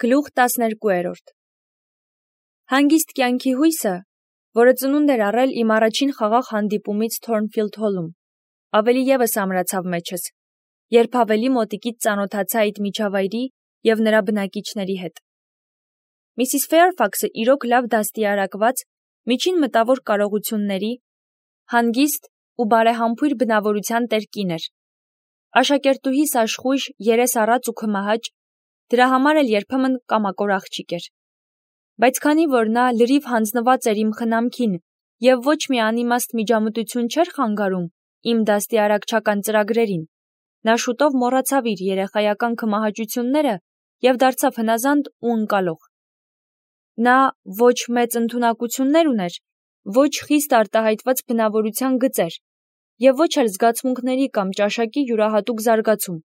Գլուխ 12 Հանգիստ կյանքի հույսը, որը ծնունդ էր առել իմ առաջին խաղաղ հանդիպումից Թորնֆիլդ Հոլում, ավելի ևս ամրացավ մեջս, երբ ավելի մոտիկից ծանոթացա այդ միջավայրի և նրա բնակիչների հետ։ Միսիս Ֆեյրֆաքսը իրոք լավ դաստիարակված, միջին մտավոր կարողությունների, հանգիստ ու բարեհամբույր բնավորության տեր կին էր։ Աշակերտուհիս աշխույժ, երես առած ու քմահաճ, դրա համար էլ երբեմն կամակոր աղջիկ էր։ Բայց քանի որ նա լրիվ հանձնված էր իմ խնամքին և ոչ մի անիմաստ միջամտություն չէր խանգարում իմ դաստիարակչական ծրագրերին, նա շուտով մոռացավ իր երեխայական քմահաճությունները և դարձավ հնազանդ ու ընկալող։ Նա ոչ մեծ ընդունակություններ ուներ, ոչ խիստ արտահայտված բնավորության գծեր և ոչ էլ զգացմունքների կամ ճաշակի յուրահատուկ զարգացում,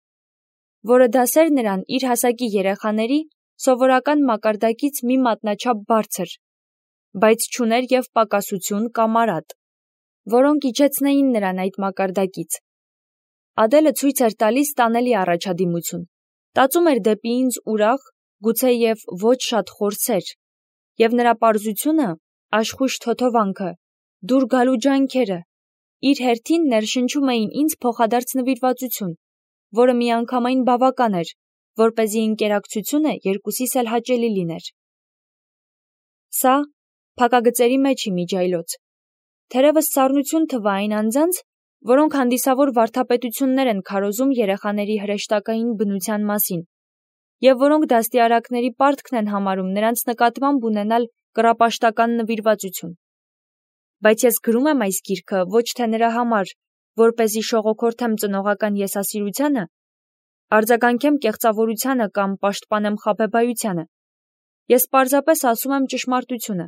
որը դասեր նրան իր հասակի երեխաների սովորական մակարդակից մի մատնաչափ բարձր, բայց չուներ և պակասություն կամ արատ, որոնք իջեցնեին նրան այդ մակարդակից։ Ադելը ցույց էր տալիս տանելի առաջադիմություն, տածում էր դեպի ինձ ուրախ, գուցե և ոչ շատ խոր սեր, և նրա պարզությունը, աշխույժ թոթովանքը, դուր գալու ջանքերը, իր հերթին ներշնչում էին ինձ փոխադարձ նվիրվածություն, որը միանգամայն բավական էր, որպեսզի ընկերակցությունը երկուսիս էլ հաճելի լիներ։ Սա փակագծերի մեջ իմիջայլոց, թերևս սառնություն թվա այն անձանց, որոնք հանդիսավոր վարդապետություններ են քարոզում երեխաների հրեշտակային բնության մասին, և որոնք դաստիարակների պարտքն են համարում նրանց նկատմամբ ունենալ կռապաշտական նվիրվածություն։ Բայց ես գրում եմ այս գիրքը ոչ թե նրա համար, որպեսզի շողոքորթեմ ծնողական եսասիրությանը, արձագանքեմ կեղծավորությանը կամ պաշտպանեմ խաբեբայությանը։ Ես պարզապես ասում եմ ճշմարտությունը։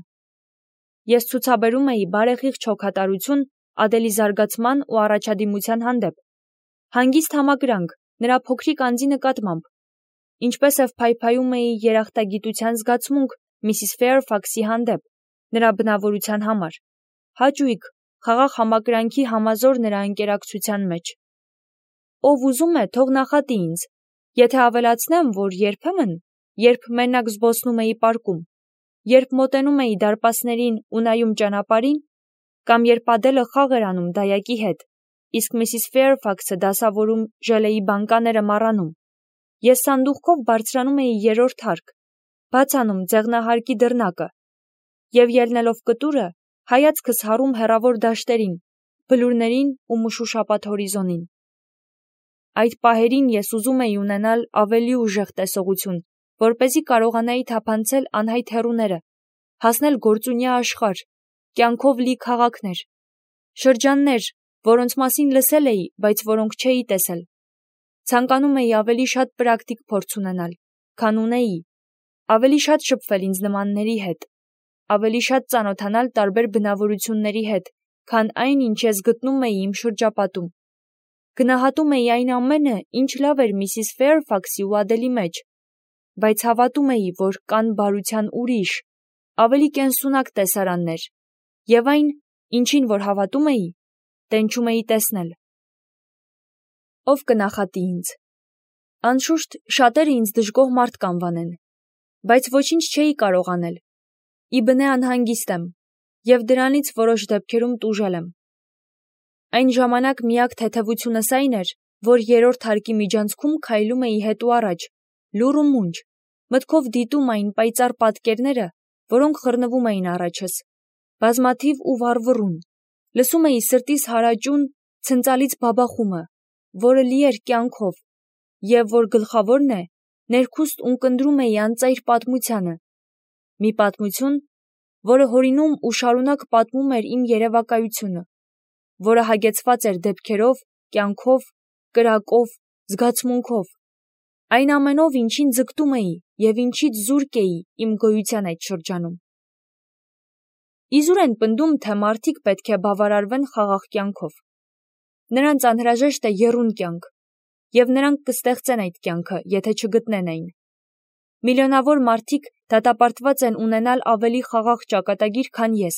Ես ցուցաբերում էի բարեխիղճ հոգատարություն Ադելի զարգացման ու առաջադիմության հանդեպ, հանգիստ համակրանք նրա փոքրիկ անձի նկատմամբ, ինչպես և փայփայում էի երախտագիտության զգացմունք Միսիս Ֆեյրֆաքսի հանդեպ, նրա բնավորության համար, հաճույք, խաղաղ համակրանքի համազոր նրա ընկերակցության մեջ։ Ով ուզում է, թող նախատի ինձ, եթե ավելացնեմ, որ երբեմն, երբ մենակ զբոսնում էի պարկում, երբ մոտենում էի դարպասներին ու նայում ճանապարհին, կամ երբ Ադելը խաղ էր անում դայակի հետ, իսկ Միսիս Ֆեյրֆաքսը դասավորում ժելեի բանկաները մառանում, ես սանդուղքով բարձրանում էի երրորդ հարկ, բաց անում ձեղնահարկի դռնակը և ելնելով կտուրը, հայացքս հառում հեռավոր դաշտերին, բլուրներին ու մշուշապատ հորիզոնին։ Այդ պահերին ես ուզում էի ունենալ ավելի ուժեղ տեսողություն, որպեսզի կարողանայի թափանցել անհայտ հեռուները, հասնել գործունյա աշխարհ, կյանքով լի քաղաքներ, շրջաններ, որոնց մասին լսել էի, բայց որոնք չէի տեսել։ Ցանկանում էի ավելի շատ պրակտիկ փորձ ունենալ, քան ունեի, ավելի շատ շփվել ինձ նմանների հետ, ավելի շատ ծանոթանալ տարբեր բնավորությունների հետ, քան այն, ինչ ես գտնում էի իմ շրջապատում։ Գնահատում էի այն ամենը, ինչ լավ էր Միսիս Ֆեյրֆաքսի ու Ադելի մեջ, բայց հավատում էի, որ կան բարության ուրիշ, ավելի կենսունակ տեսարաններ, և այն, ինչին որ հավատում էի, տենչում էի տեսնել։ Ով կնախատի ինձ։ Անշուշտ, շատերը ինձ դժգոհ մարդ կանվանեն, բայց ոչինչ չէի կարող անել։ Ի բնե անհանգիստ եմ, և դրանից որոշ դեպքերում տուժել եմ։ Այն ժամանակ միակ թեթևությունս այն էր, որ երրորդ հարկի միջանցքում քայլում էի հետո առաջ, լուռ ու մունջ, մտքով դիտում այն պայծառ պատկերները, որոնք խռնվում էին առաջս, բազմաթիվ ու վառվռուն, լսում էի սրտիս հարաճուն, ցնծալից բաբախումը, որը լի էր կյանքով, և որ գլխավորն է, ներքուստ ունկնդրում էի անծայր պատմությանը, մի պատմություն, որը հորինում ու շարունակ պատմում էր իմ երևակայությունը, որը հագեցված էր դեպքերով, կյանքով, կրակով, զգացմունքով, այն ամենով, ինչին ձգտում էի և ինչից զուրկ էի իմ գոյության այդ շրջանում։ Իզուր են պնդում, թե մարդիկ պետք է բավարարվեն խաղաղ կյանքով։ Նրանց անհրաժեշտ է եռուն կյանք, և նրանք կստեղծեն այդ կյանքը, եթե չգտնեն այն։ Միլիոնավոր մարդիկ դատապարտված են ունենալ ավելի խաղաղ ճակատագիր, քան ես,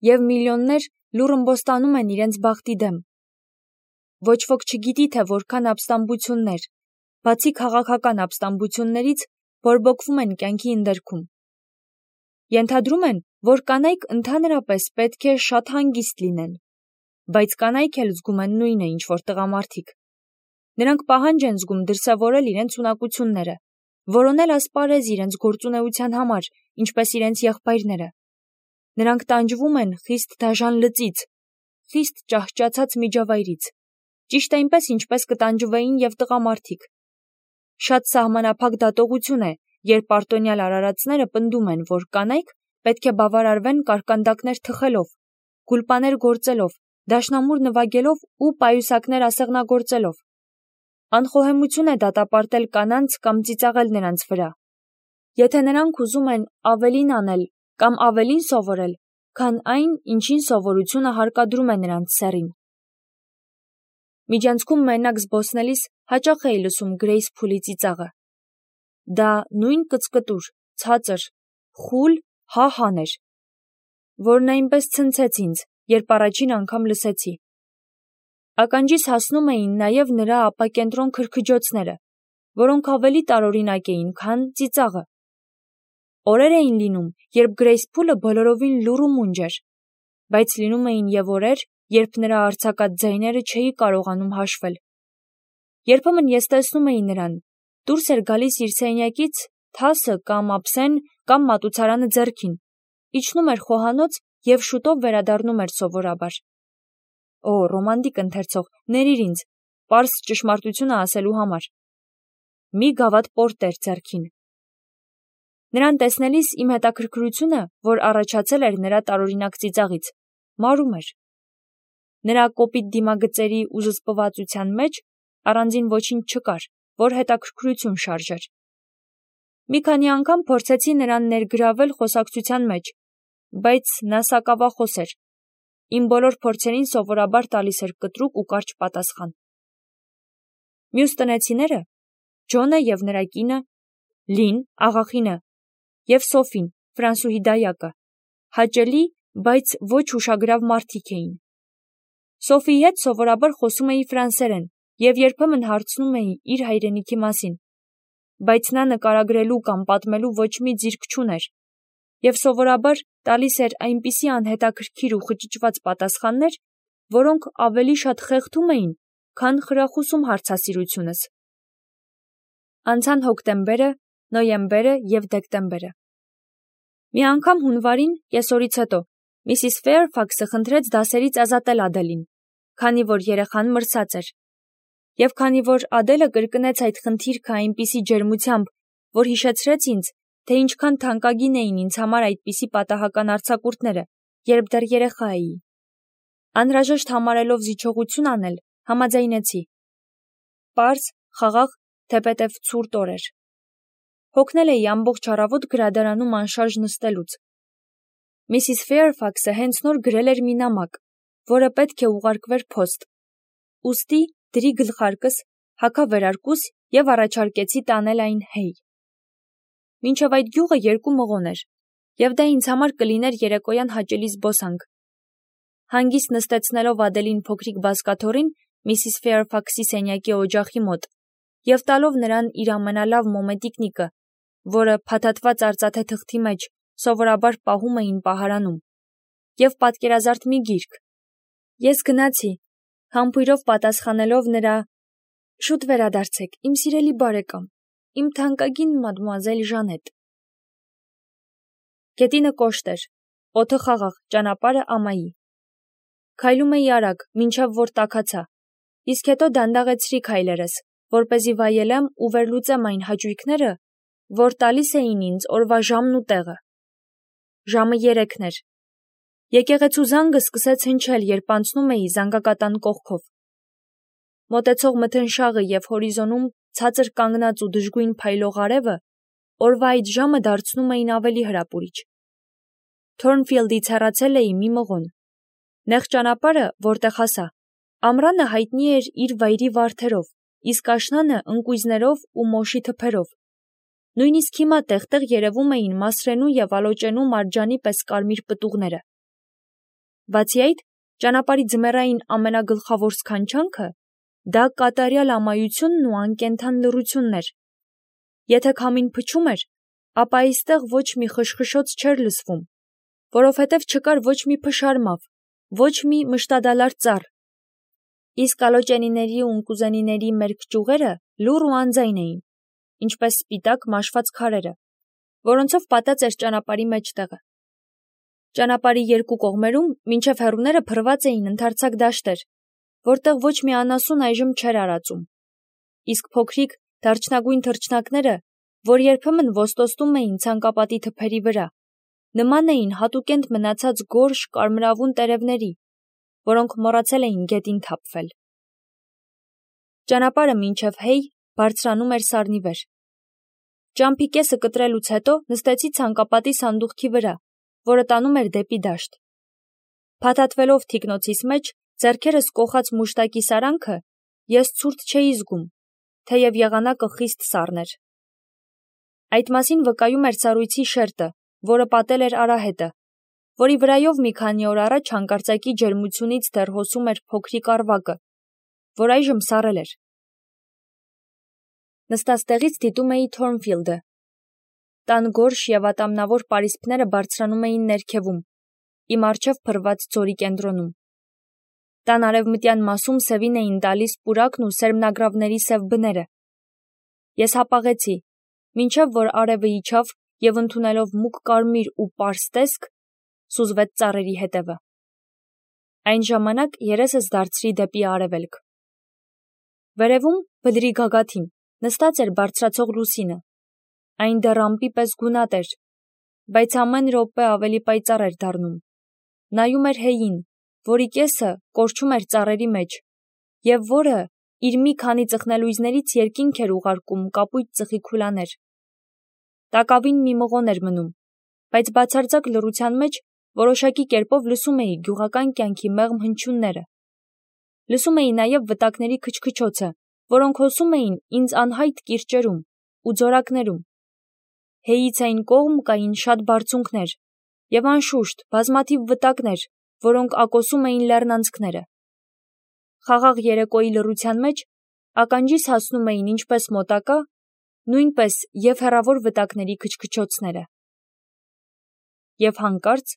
և միլիոններ լուռ ըմբոստանում են իրենց բախտի դեմ։ Ոչ ոք չգիտի, թե որքան ապստամբություններ, բացի քաղաքական ապստամբություններից, բորբոքվում են կյանքի ընդերքում։ Ենթադրում են, որ կանայք ընդհանրապես պետք է շատ հանգիստ լինեն, բայց կանայք էլ զգում են նույնը, ինչ որ տղամարդիկ։ Նրանք պահանջ են զգում դրսևորել իրենց ունակությունները, որոնել ասպարեզ իրենց գործունեության համար, ինչպես իրենց եղբայրները։ Նրանք տանջվում են խիստ դաժան լծից, խիստ ճահճացած միջավայրից, ճիշտ այնպես, ինչպես կտանջվեին և տղամարդիկ։ Շատ սահմանափակ դատողություն է, երբ արտոնյալ արարածները պնդում են, որ կանայք պետք է բավարարվեն կարկանդակներ թխելով, գուլպաներ գործելով, դաշնամուր նվագելով ու պայուսակներ ասեղնագործելով։ Անխոհեմություն է դատապարտել կանանց կամ ծիծաղել նրանց վրա։ Եթե նրանք ուզում են ավելին անել կամ ավելին սովորել, քան այն, ինչին սովորությունը հարկադրում է նրանց սեռին։ Միջանցքում մենակ զբոսնելիս հաճախ էի լսում Գրեյս Փուլի ծիծաղը։ Դա նույն կծկտուր, ցածր, խուլ հա-հան էր, որն այնպես ցնցեց ինձ, երբ առաջին անգամ լսեցի։ Ականջիս հասնում էին նաև նրա ապակենտրոն քրքջոցները, որոնք ավելի տարօրինակ էին, քան ծիծաղը։ Օրեր էին լինում, երբ Գրեյս Փուլը բոլորովին լուռ ու մունջ էր, բայց լինում էին և օրեր, երբ նրա արձակած ձայները չէի կարողանում հաշվել։ Երբեմն ես տեսնում էի նրան, դուրս էր գալիս իր սենյակից թասը կամ ափսեն կամ մատուցարանը ձեռքին, իջնում էր խոհանոց և շուտով վերադառնում էր սովորաբար։ Օ, ռոմանտիկ ընթերցող, ներիր ինձ, պարզ ճշմարտությունը ասելու համար։ Մի գավաթ պորտեր ձեռքին։ Նրան տեսնելիս իմ հետաքրքրությունը, որ առաջացել էր նրա տարօրինակ ծիծաղից, մարում էր։ Նրա կոպիտ դիմագծերի ու զսպվածության մեջ առանձին ոչինչ չկար, որ հետաքրքրություն շարժեր։ Մի քանի անգամ փորձեցի նրան ներգրավել խոսակցության մեջ, բայց նա սակավախոս էր։ Իմ բոլոր փորձերին սովորաբար տալիս էր կտրուկ ու կարճ պատասխան։ Մյուս տնեցիները, Ջոնը և նրա կինը, Լին, աղախինը և Սոֆին, ֆրանսուհի դայակը, հաճելի, բայց ոչ հուշագրավ մարդիկ էին։ Սոֆիի հետ սովորաբար խոսում էի ֆրանսերեն և երբեմն հարցնում էի իր հայրենիքի մասին, բայց նա նկարագրելու կամ պատմելու ոչ մի ձիրք չուներ և սովորաբար տալիս էր այնպիսի անհետաքրքիր ու խճճված պատասխաններ, որոնք ավելի շատ խեղդում էին, քան խրախուսում հարցասիրությունս։ Անցան հոկտեմբերը, նոյեմբերը և դեկտեմբերը։ Մի անգամ հունվարին, կեսօրից հետո, Միսիս Ֆեյրֆաքսը խնդրեց դասերից ազատել Ադելին, քանի որ երեխան մրսած էր։ Եվ քանի որ Ադելը կրկնեց այդ խնդիրքը այնպիսի ջերմությամբ, որ հիշեցրեց ինձ, թե ինչքան թանկագին էին ինձ համար այդպիսի պատահական արձակուրդները, երբ դեռ երեխա էի։ Անհրաժեշտ համարելով զիջողություն անել, համաձայնեցի։ Պարզ, խաղաղ, թեպետև ցուրտ օր էր։ Հոգնել էի ամբողջ առավոտ գրադարանում անշարժ նստելուց։ Միսիս Ֆեյրֆաքսը հենց նոր գրել էր մի նամակ, որը պետք է ուղարկվեր փոստ։ Ուստի դրի գլխարկս, հագա վերարկուս և առաջարկեցի տանել այն Հեյ։ Մինչև այդ գյուղը 2 մղոն էր, և դա ինձ համար կլիներ երեկոյան հաճելի զբոսանք։ Հանգիստ նստեցնելով Ադելին փոքրիկ բազկաթոռին Միսիս Ֆեյրֆաքսի սենյակի օջախի մոտ և տալով նրան իր ամենալավ մոմետիկնիկը, որը փաթաթված արծաթե թղթի մեջ սովորաբար պահում էին պահարանում, և պատկերազարդ մի գիրք, ես գնացի, համբույրով պատասխանելով նրա «Շուտ վերադարձեք, իմ սիրելի բարեկամ, իմ թանկագին մադմուազել Ժանետ»։ Գետինը կոշտ էր, օդը խաղաղ, ճանապարհը ամայի։ Քայլում էի արագ, մինչև որ տաքացա, իսկ հետո դանդաղեցրի քայլերս, որպեսզի վայելեմ ու վերլուծեմ այն հաճույքները, որ տալիս էին ինձ օրվա ժամն ու տեղը։ Ժամը 3 էր։ Եկեղեցու զանգը սկսեց հնչել, երբ անցնում էի զանգակատան կողքով։ Մոտեցող մթնշաղը և հորիզոնում ցածր կանգնած ու դժգույն փայլող արևը օրվա այդ ժամը դարձնում էին ավելի հրապուրիչ։ Թորնֆիլդից հեռացել էի մի մղոն։ Նեղ ճանապարհը, որտեղ հասա, ամռանը հայտնի էր իր վայրի վարդերով, իսկ աշնանը ընկույզներով ու մոշի թփերով։ Նույնիսկ հիմա տեղ-տեղ երևում էին մասրենու և ալոճենու մարջանի պես կարմիր պտուղները։ Բացի այդ, ճանապարհի ձմեռային ամենագլխավոր սքանչանքը դա կատարյալ ամայությունն ու անկենդան լռությունն էր։ Եթե քամին փչում էր, ապա այստեղ ոչ մի խշխշոց չէր լսվում, որովհետև չկար ոչ մի փշարմավ, ոչ մի մշտադալար ծառ։ Իսկ ալոճենիների ու ընկուզենիների մերկ ճյուղերը լուռ ու անձայն էին, ինչպես սպիտակ մաշված քարերը, որոնցով պատած էր ճանապարհի մեջտեղը։ Ճանապարհի երկու կողմերում մինչև հեռուները փռված էին ընդարձակ դաշտեր, որտեղ ոչ մի անասուն այժմ չէր արածում։ Իսկ փոքրիկ դարչնագույն թռչնակները, որ երբեմն ոստոստում էին ցանկապատի թփերի վրա, նման էին հատուկենտ մնացած գորշ կարմրավուն տերևների, որոնք մոռացել էին գետին թափվել։ Ճանապարհը մինչև Հեյ բարձրանում էր սարնի վեր։ Ճամփի կեսը կտրելուց հետո նստեցի ցանկապատի սանդուղքի վրա, որը տանում էր դեպի դաշտ։ Փաթաթվելով թիկնոցիս մեջ, ձեռքերս կոխած մուշտակի սարանքը, ես ցուրտ չէի զգում, թեև եղանակը խիստ սառն էր։ Այդ մասին վկայում էր սառույցի շերտը, որը պատել էր արահետը, որի վրայով մի քանի օր առաջ հանկարծակի ջերմությունից դեռ հոսում էր փոքրիկ առվակը, որ այժմ սառել էր։ Նստած տեղից դիտում էի Թորնֆիլդը։ Տան գորշ և ատամնավոր պարիսպները բարձրանում էին ներքևում, իմ առջև փռված ձորի կենտրոնում։ Տան արևմտյան մասում սևին էին տալիս պուրակն ու սերմնագրավների սև բները։ Ես հապաղեցի, մինչև որ արևը իջավ և ընդունելով մուգ կարմիր ու պարզ տեսք, սուզվեց ծառերի հետևը։ Այն ժամանակ երեսս դարձրի դեպի արևելք։ Վերևում, բլրի գագաթին, նստած էր բարձրացող լուսինը։ Այն դեռ ամպի պես գունատ էր, բայց ամեն րոպե ավելի պայծառ էր դառնում։ Նայում էր Հեյին, որի կեսը կորչում էր ծառերի մեջ, և որը իր մի քանի ծխնելույզներից երկինք էր ուղարկում կապույտ ծխի քուլաներ։ Տակավին մի մղոն էր մնում, բայց բացարձակ լռության մեջ որոշակի կերպով լսում էի գյուղական կյանքի մեղմ հնչյունները։ Լսում էի նաև վտակների քչքչոցը, որոնք հոսում էին ինձ անհայտ կիրճերում ու ձորակներում։ Հեյից այն կողմ կային շատ բարձունքներ և անշուշտ բազմաթիվ վտակներ, որոնք ակոսում էին լեռնանցքները։ Խաղաղ երեկոյի լռության մեջ ականջիս հասնում էին ինչպես մոտակա, նույնպես և հեռավոր վտակների քչքչոցները։ Եվ հանկարծ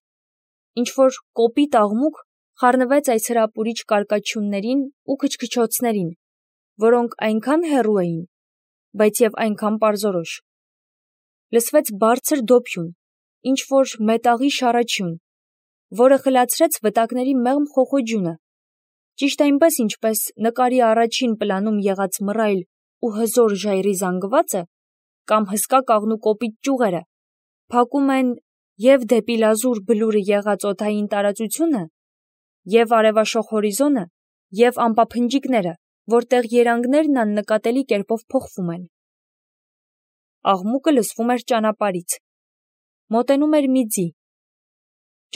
ինչ-որ կոպիտ աղմուկ խառնվեց այս հրապուրիչ կարկաչյուններին ու քչքչոցներին, որոնք այնքան հեռու էին, բայց և այնքան պարզորոշ։ Լսվեց բարձր դոփյուն, ինչ-որ մետաղի շառաչյուն, որը խլացրեց վտակների մեղմ խոխոջյունը, ճիշտ այնպես, ինչպես նկարի առաջին պլանում եղած մռայլ ու հզոր ժայռի զանգվածը կամ հսկա կաղնու կոպիտ ճյուղերը փակում են և դեպի լազուր բլուրը եղած օդային տարածությունը, և արևաշող հորիզոնը, և ամպափնջիկները, որտեղ երանգներն աննկատելի կերպով փոխվում են։ Աղմուկը լսվում էր ճանապարհից։ Մոտենում էր մի ձի։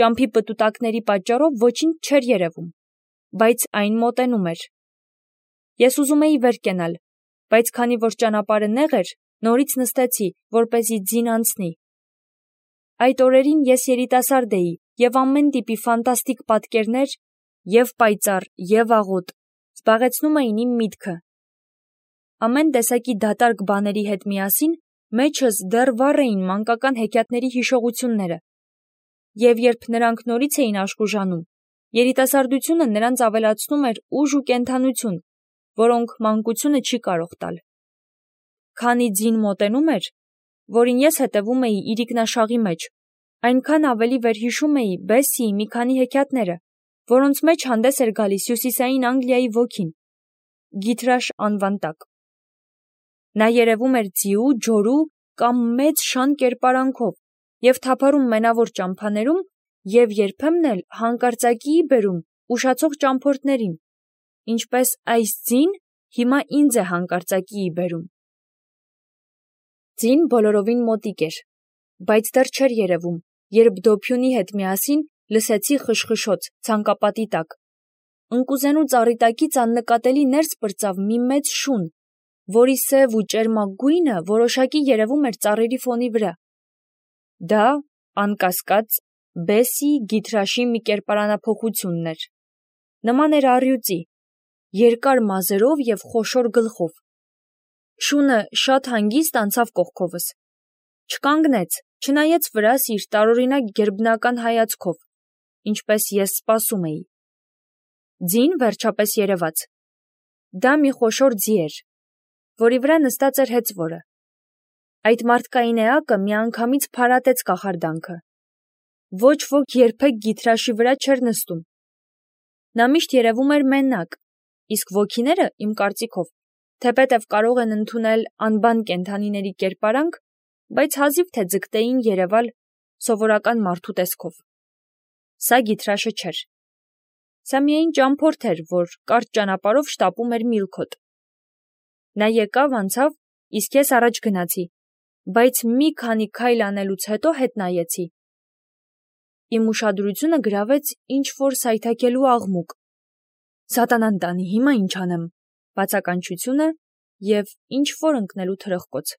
Ճամփի պտուտակների պատճառով ոչինչ չէր երևում, բայց այն մոտենում էր։ Ես ուզում էի վեր կենալ, բայց քանի որ ճանապարհը նեղ էր, նորից նստեցի, որպեսզի ձին անցնի։ Այդ օրերին ես երիտասարդ էի, և ամեն տիպի ֆանտաստիկ պատկերներ, և պայծառ, և աղոտ, զբաղեցնում էին իմ միտքը։ Ամեն տեսակի դատարկ բաների հետ միասին մեջս դեռ վառ էին մանկական հեքիաթների հիշողությունները, և երբ նրանք նորից էին աշխուժանում, երիտասարդությունը նրանց ավելացնում էր ուժ ու կենդանություն, որոնք մանկությունը չի կարող տալ։ Քանի ձին մոտենում էր, որին ես հետևում էի իրիկնաշաղի մեջ, այնքան ավելի վերհիշում էի Բեսսիի մի քանի հեքիաթները, որոնց մեջ հանդես էր գալիս Հյուսիսային Անգլիայի ոգին, Գիթրաշ անվան տակ։ Նա երևում էր ձիու, ջորու կամ մեծ շան կերպարանքով և թափառում մենավոր ճամփաներում և երբեմն էլ հանկարծակիի բերում ուշացող ճամփորդներին, ինչպես այս ձին հիմա ինձ է հանկարծակիի բերում։ Ձին բոլորովին մոտիկ էր, բայց դեռ չէր երևում, երբ դոփյունի հետ միասին լսեցի խշխշոց ցանկապատի տակ։ Ընկուզենու ծառի տակից աննկատելի ներս պրծավ մի մեծ շուն, որի սև ու ճերմակ գույնը որոշակի երևում էր ծառերի ֆոնի վրա։ Դա, անկասկած, Բեսսիի Գիթրաշի մի կերպարանափոխությունն էր։ Նման էր առյուծի, երկար մազերով և խոշոր գլխով։ Շունը շատ հանգիստ անցավ կողքովս։ Չկանգնեց, չնայեց վրաս իր տարօրինակ գերբնական հայացքով, ինչպես ես սպասում էի։ Ձին վերջապես երևաց։ Դա մի խոշոր ձի էր, որի վրա նստած էր հեծվորը։ Այդ մարդկային էակը միանգամից փարատեց կախարդանքը։ Ոչ ոք երբեք գիթրաշի վրա չէր նստում։ Նա միշտ երևում էր մենակ, իսկ ոգիները, իմ կարծիքով, թեպետև կարող են ընդունել անբան կենդանիների կերպարանք, բայց հազիվ թե ձգտեին երևալ սովորական մարդու տեսքով։ Սա գիթրաշը չէր։ Սա միայն ճամփորդ էր, որ կարճ ճանապարհով շտապում էր Միլքոտ։ Նա եկավ, անցավ, իսկ ես առաջ գնացի, բայց մի քանի քայլ անելուց հետո հետ նայեցի։ Իմ ուշադրությունը գրավեց ինչ-որ սայթաքելու աղմուկ։ Սատանան տանի, հիմա ինչ անեմ, բացականչությունը և ինչ-որ ընկնելու թրխկոց։